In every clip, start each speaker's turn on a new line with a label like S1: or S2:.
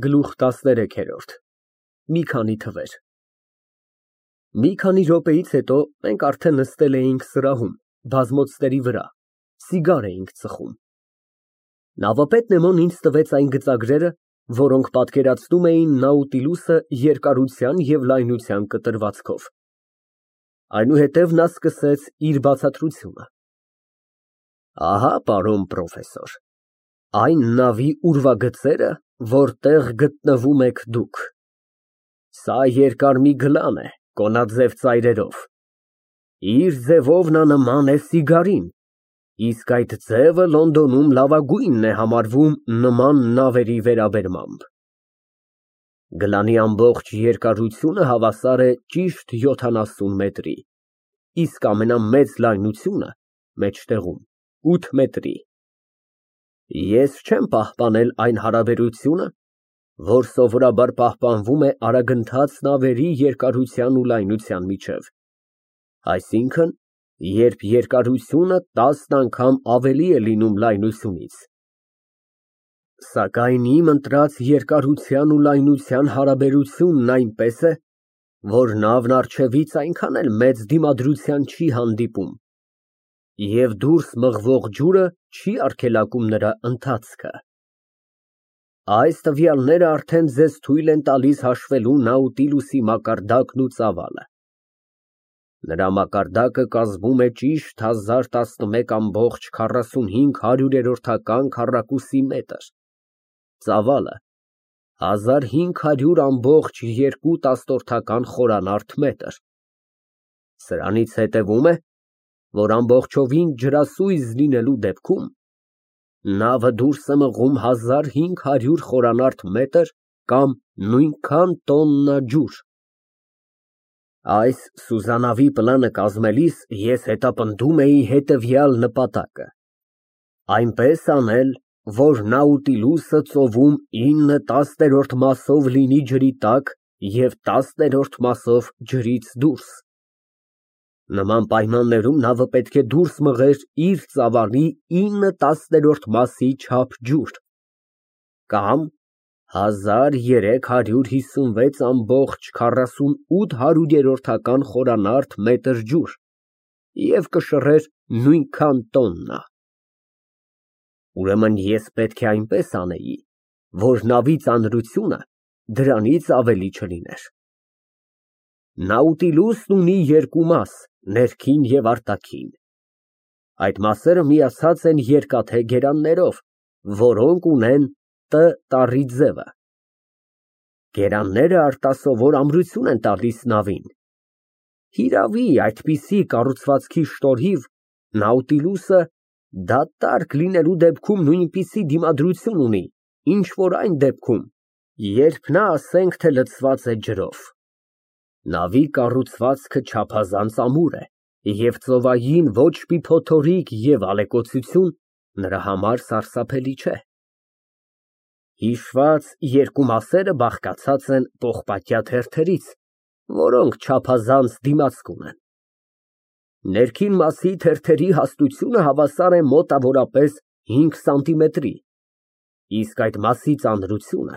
S1: Գլուխ 13 Մի քանի թվեր Մի քանի րոպեից հետո մենք արդեն նստել էինք սրահում, բազմոցների վրա, սիգար էինք ծխում։ Նավապետն ինձ տվեց այն գծագրերը, որոնք պատկերացնում էին Նաուտիլուսը երկարության և լայնության կտրվածքով։ Այնուհետև նա սկսեց իր բացատրությունը. Ահա, պարոն պրոֆեսոր, այն նավի ուրվագծերը, որտեղ գտնվում եք դուք։ Սա երկար մի գլան է, կոնաձև ծայրերով։ Իր ձևով նա նման է սիգարին, իսկ այդ ձևը Լոնդոնում լավագույնն է համարվում նման նավերի վերաբերմամբ։ Գլանի ամբողջ երկարությունը հավասար է ճիշտ 70 մետրի, իսկ ամենամեծ լայնությունը մեջտեղում 8 մետրի։ Ես չեմ պահպանել այն հարաբերությունը, որ սովորաբար պահպանվում է արագընթաց նավերի երկարության ու լայնության միջև, այսինքն, երբ երկարությունը 10 անգամ ավելի է լինում լայնությունից։ Սակայն իմ ընտրած երկարության ու լայնության հարաբերությունն այնպես է, որ նավն առջևից այնքան էլ մեծ դիմադրության չի հանդիպում, և դուրս մղվող ջուրը չի արգելակում նրա ընթացքը։ Այս տվյալները արդեն ձեզ թույլ են տալիս հաշվելու Նաուտիլուսի մակարդակն ու ծավալը։ Նրա մակարդակը կազմում է ճիշտ 1011,45 քառակուսի մետր, ծավալը 1500,2 խորանարդ մետր։ Սրանից հետևում է, որ ամբողջովին ջրասույզ լինելու դեպքում նավը դուրս է մղում 1500 խորանարդ մետր կամ նույնքան տոննա ջուր։ Այս սուզանավի պլանը կազմելիս ես հետապնդում էի հետևյալ նպատակը. այնպես անել, որ Նաուտիլուսը ծովում 9/10 մասով լինի ջրի տակ և 10-րդ մասով ջրից դուրս։ Նման պայմաններում նավը պետք է դուրս մղեր իր ծավալի 9/10 մասի չափ ջուր, կամ 1356,48 խորանարդ մետր ջուր և կշռեր նույնքան տոննա։ Ուրեմն ես պետք է այնպես անեի, որ նավի ծանրությունը դրանից ավելի չլիներ։ Նաուտիլուսն ունի երկու մաս, ներքին և արտաքին։ Այդ մասերը միացած են երկաթե գերաններով, որոնք ունեն Տ տառի ձևը։ Գերանները արտասովոր ամրություն են տալիս նավին։ Հիրավի, այդպիսի կառուցվածքի շնորհիվ Նաուտիլուսը դատարկ լինելու դեպքում նույնպիսի դիմադրություն ունի, ինչ որ այն դեպքում, երբ նա ասենք, թե լցված է ջրով։ Նավի կառուցվածքը չափազանց ամուր է, և ծովային ոչ մի փոթորիկ և ալեկոծություն նրա համար սարսափելի չէ։ Հիշված երկու մասերը բաղկացած են պողպատյա թերթերից, որոնք չափազանց դիմացկուն են։ Ներքին մասի թերթերի հաստությունը հավասար է մոտավորապես 5 սանտիմետրի, իսկ այդ մասի ծանրությունը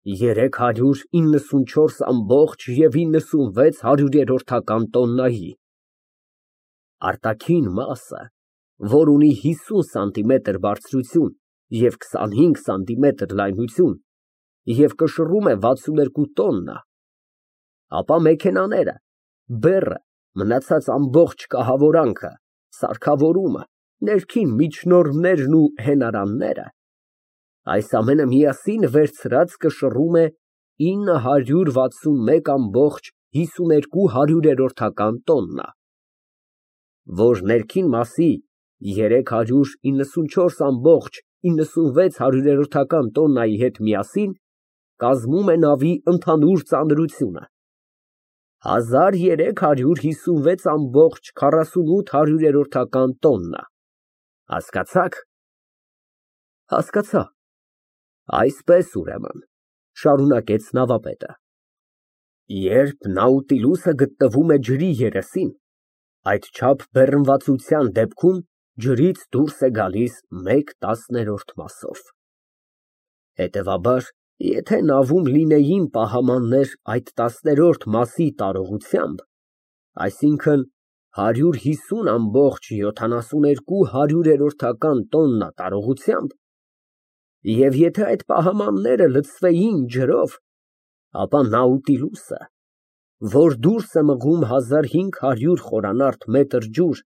S1: 394,96 տոննայի։ Արտաքին մասը, որ ունի 50 սանտիմետր բարձրություն և 25 սանտիմետր լայնություն և կշռում է 62 տոննա, ապա մեքենաները, բեռը, մնացած ամբողջ կահավորանքը, սարքավորումը, ներքին միջնորդներն ու հենարանները, այս ամենը միասին վերցրած կշռում է 961,52 տոննա, որ ներքին մասի 394,96 տոննայի հետ միասին կազմում է նավի ընդհանուր ծանրությունը 1356,48 տոննա։ Հասկացա՞ք։ Հասկացա։ Այսպես, ուրեմն, շարունակեց նավապետը, երբ Նաուտիլուսը գտնվում է ջրի երեսին, այդչափ բեռնվածության դեպքում ջրից դուրս է գալիս 1/10 մասով։ Հետևաբար, Եթե նավում լինեին պահամաններ այդ 10-րդ մասի տարողությամբ, այսինքն 150,72 հարյուրերորդական տարողությամբ, և եթե այդ պահամանները լցվեին ջրով, ապա Նաուտիլուսը, որ դուրս է մղում 1500 խորանարդ մետր ջուր,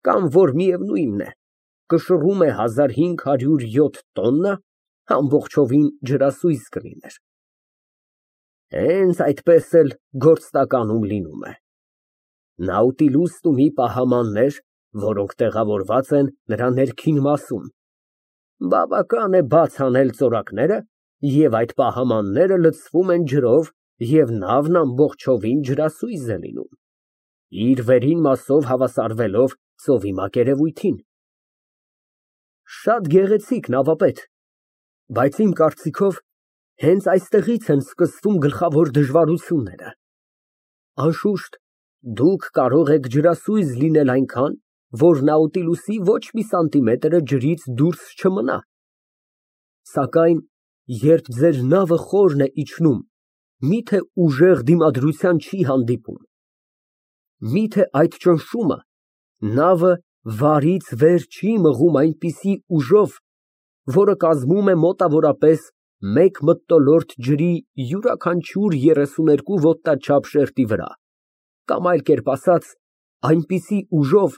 S1: կամ որ միևնույնն է, կշռում է 1507 տոննա, ամբողջովին ջրասույզ կլիներ։ Հենց այդպես էլ գործնականում լինում է։ Նաուտիլուսն ունի պահամաններ, որոնք տեղավորված են նրա ներքին մասում։ Բավական է բաց անել ծորակները, և այդ պահամանները լցվում են ջրով, և նավն ամբողջովին ջրասույզ է լինում, իր վերին մասով հավասարվելով ծովի մակերևույթին։ Շատ գեղեցիկ, նավապետ, բայց իմ կարծիքով հենց այստեղից են սկսվում գլխավոր դժվարությունները։ Անշուշտ, դուք կարող եք ջրասույզ լինել այնքան, որ Նաուտիլուսի ոչ մի սանտիմետրը ջրից դուրս չմնա, սակայն երբ ձեր նավը խորն է իջնում, միթե ուժեղ դիմադրության չի հանդիպում, միթե այդ ճնշումը նավը վարից վեր չի մղում այնպիսի ուժով, որը կազմում է մոտավորապես 1 մթնոլորտ ջրի յուրաքանչյուր 32 ոտնաչափ շերտի վրա, կամ այլ կերպ ասած, այնպիսի ուժով,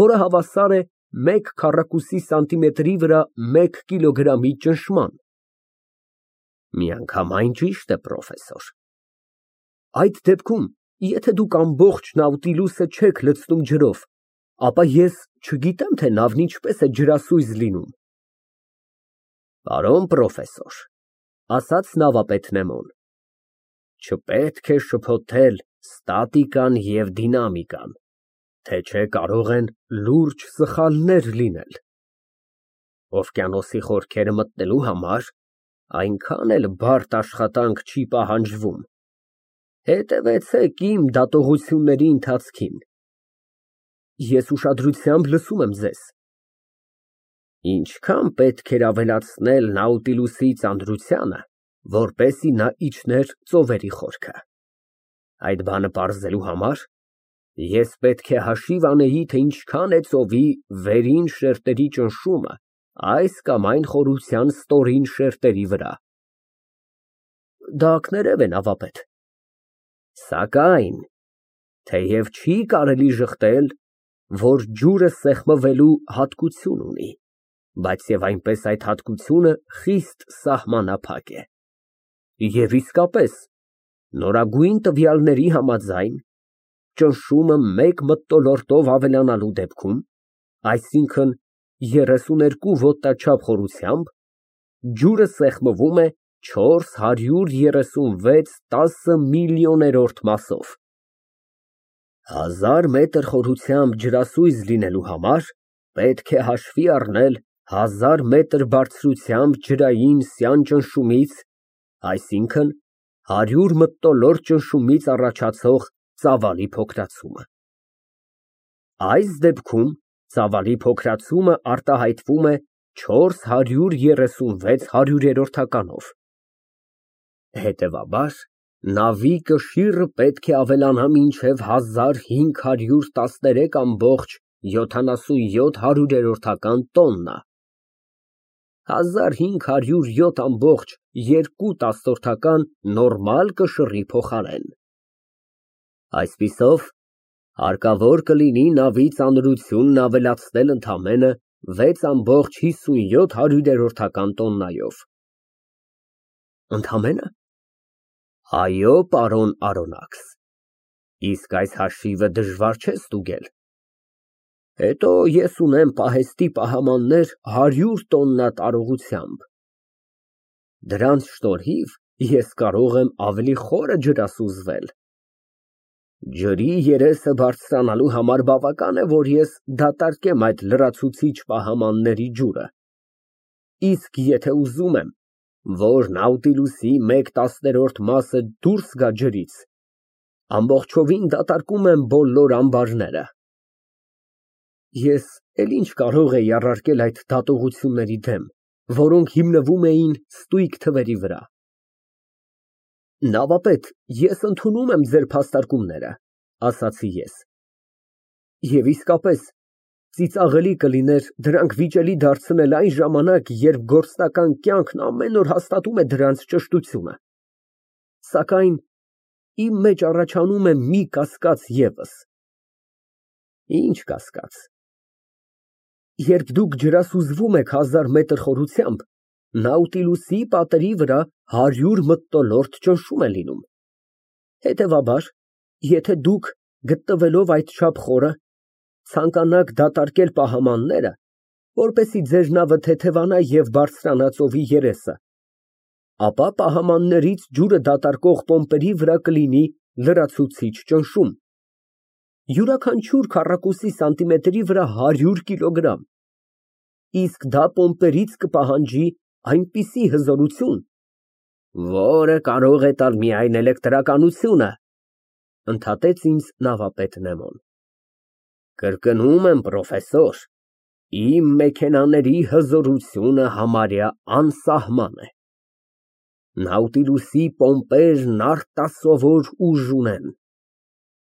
S1: որը հավասար է 1 քառակուսի սանտիմետրի վրա 1 կիլոգրամի ճնշման։ Միանգամայն ճիշտ է, պրոֆեսոր։ Այդ դեպքում, եթե դուք ամբողջ Նաուտիլուսը չեք լցնում ջրով, ապա ես չգիտեմ, թե նավն ինչպես է ջրասույզ լինում։ Պարոն պրոֆեսոր, ասաց նավապետ Նեմոն, չպետք է շփոթել ստատիկան և դինամիկան, թե չէ կարող են լուրջ սխալներ լինել։ Օվկիանոսի խորքերը մտնելու համար այնքան էլ բարդ աշխատանք չի պահանջվում։ Հետևեցեք իմ դատողությունների ընթացքին։ Ես ուշադրությամբ լսում եմ ձեզ։ Ինչքան պետք էր ավելացնել Նաուտիլուսի ծանրությանը, որպեսզի նա իջներ ծովերի խորքը։ Այդ բանը պարզելու համար ես պետք է հաշիվ անեի, թե ինչքան է ծովի վերին շերտերի ճնշումը այս կամ այն խորության ստորին շերտերի վրա։ Դա կներև է, նավապետ։ Սակայն, թեև չի կարելի ժխտել, որ ջուրը սեղմվելու հատկություն ունի, բայց և այնպես այդ հատկությունը խիստ սահմանափակ է։ Եվ իսկապես, նորագույն տվյալների համաձայն, ճնշումը 1 մթնոլորտով ավելանալու դեպքում, այսինքն 32 ոտնաչափ խորությամբ, ջուրը սեղմվում է 436 տասնմիլիոներորդ մասով։ 1000 մետր խորությամբ ջրասույզ լինելու համար պետք է հաշվի առնել 1000 մետր բարձրությամբ ջրային սյան ճնշումից, այսինքն 100 մթնոլորտ ճնշումից առաջացող ծավալի փոքրացումը։ Այս դեպքում ծավալի փոքրացումը արտահայտվում է 436 հարյուրերորդականով։ Հետևաբար, նավի կշիռը պետք է ավելանա մինչև 1513,77 տոննա։ 1507,2 նորմալ կշռի փոխարեն։ Այսպիսով, հարկավոր կլինի նավի ծանրությունն ավելացնել ընդամենը 6,57 տոննայով։ Ընդամենը։ Այո, պարոն Արոնաքս, իսկ այս հաշիվը դժվար չէ ստուգել։ Հետո ես ունեմ պահեստի պահամաններ 100 տոննա տարողությամբ։ Դրանց շնորհիվ ես կարող եմ ավելի խորը ջրասուզվել։ Ջրի երեսը բարձրանալու համար բավական է, որ ես դատարկեմ այդ լրացուցիչ պահամանների ջուրը։ Իսկ եթե ուզում եմ, որ Նաուտիլուսի 1/10 մասը դուրս գա ջրից, ամբողջովին դատարկում եմ բոլոր ամբարները։ Ես էլ ինչ կարող էի առարկել այդ դատողությունների դեմ, որոնք հիմնվում էին ստույգ թվերի վրա։ Նավապետ, ես ընդունում եմ ձեր փաստարկումները, ասացի ես։ Եվ իսկապես, ծիծաղելի կլիներ դրանք վիճելի դարձնել այն ժամանակ, երբ գործնական կյանքն ամեն օր հաստատում է դրանց ճշտությունը։ Սակայն իմ մեջ առաջանում է մի կասկած ևս։ Ինչ կասկած։ Երբ դուք ջրասուզվում եք 1000 մետր խորությամբ, Նաուտիլուսի պատերի վրա 100 մթնոլորտ ճնշում է լինում։ Հետևաբար, եթե դուք, գտնվելով այդչափ խորը, ցանկանաք դատարկել պահամանները, որպեսզի ձեր նավը թեթևանա և բարձրանա ծովի երեսը, ապա պահամաններից ջուրը դատարկող պոմպերի վրա կլինի լրացուցիչ ճնշում, յուրաքանչյուր քառակուսի սանտիմետրի վրա 100 կիլոգրամ, իսկ դա պոմպերից կպահանջի այնպիսի հզորություն, որը կարող է տալ միայն էլեկտրականությունը, ընդհատեց ինձ նավապետ Նեմոն։ Կրկնում եմ, պրոֆեսոր, իմ մեքենաների հզորությունը համարյա անսահման է։ Նաուտիլուսի պոմպերն արտասովոր ուժ ունեն։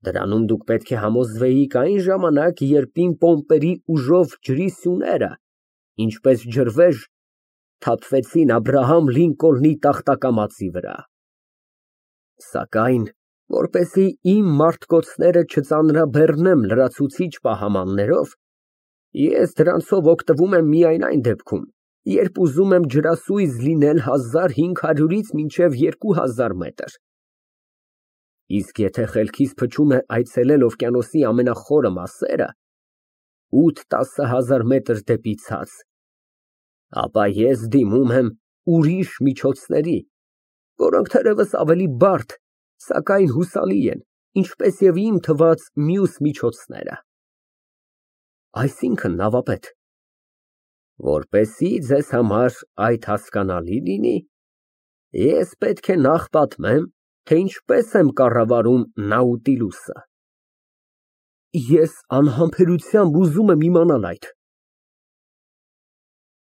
S1: Դրանում դուք պետք է համոզվեիք այն ժամանակ, երբ իմ պոմպերի ուժով ջրի սյուները, ինչպես ջրվեժ, թափվեցին Աբրահամ Լինկոլնի տախտակամածի վրա։ Սակայն, որպեսզի իմ մարտկոցները չծանրաբեռնեմ լրացուցիչ պահամաններով, ես դրանցով օգտվում եմ միայն այն դեպքում, երբ ուզում եմ ջրասույզ լինել 1500-ից մինչև 2000 մետր։ Իսկ եթե խելքիս փչում է այցելել օվկիանոսի ամենախորը մասերը, 8-10 հազար մետր դեպի ցած, ապա ես դիմում եմ ուրիշ միջոցների, որոնք թերևս ավելի բարդ, սակայն հուսալի են, ինչպես և իմ թված մյուս միջոցները։ Այսինքն, նավապետ, որպեսզի ձեզ համար այդ հասկանալի լինի, ես պետք է նախ պատմեմ, թե ինչպես եմ կառավարում Նաուտիլուսը։ Ես անհամբերությամբ ուզում եմ իմանալ այդ։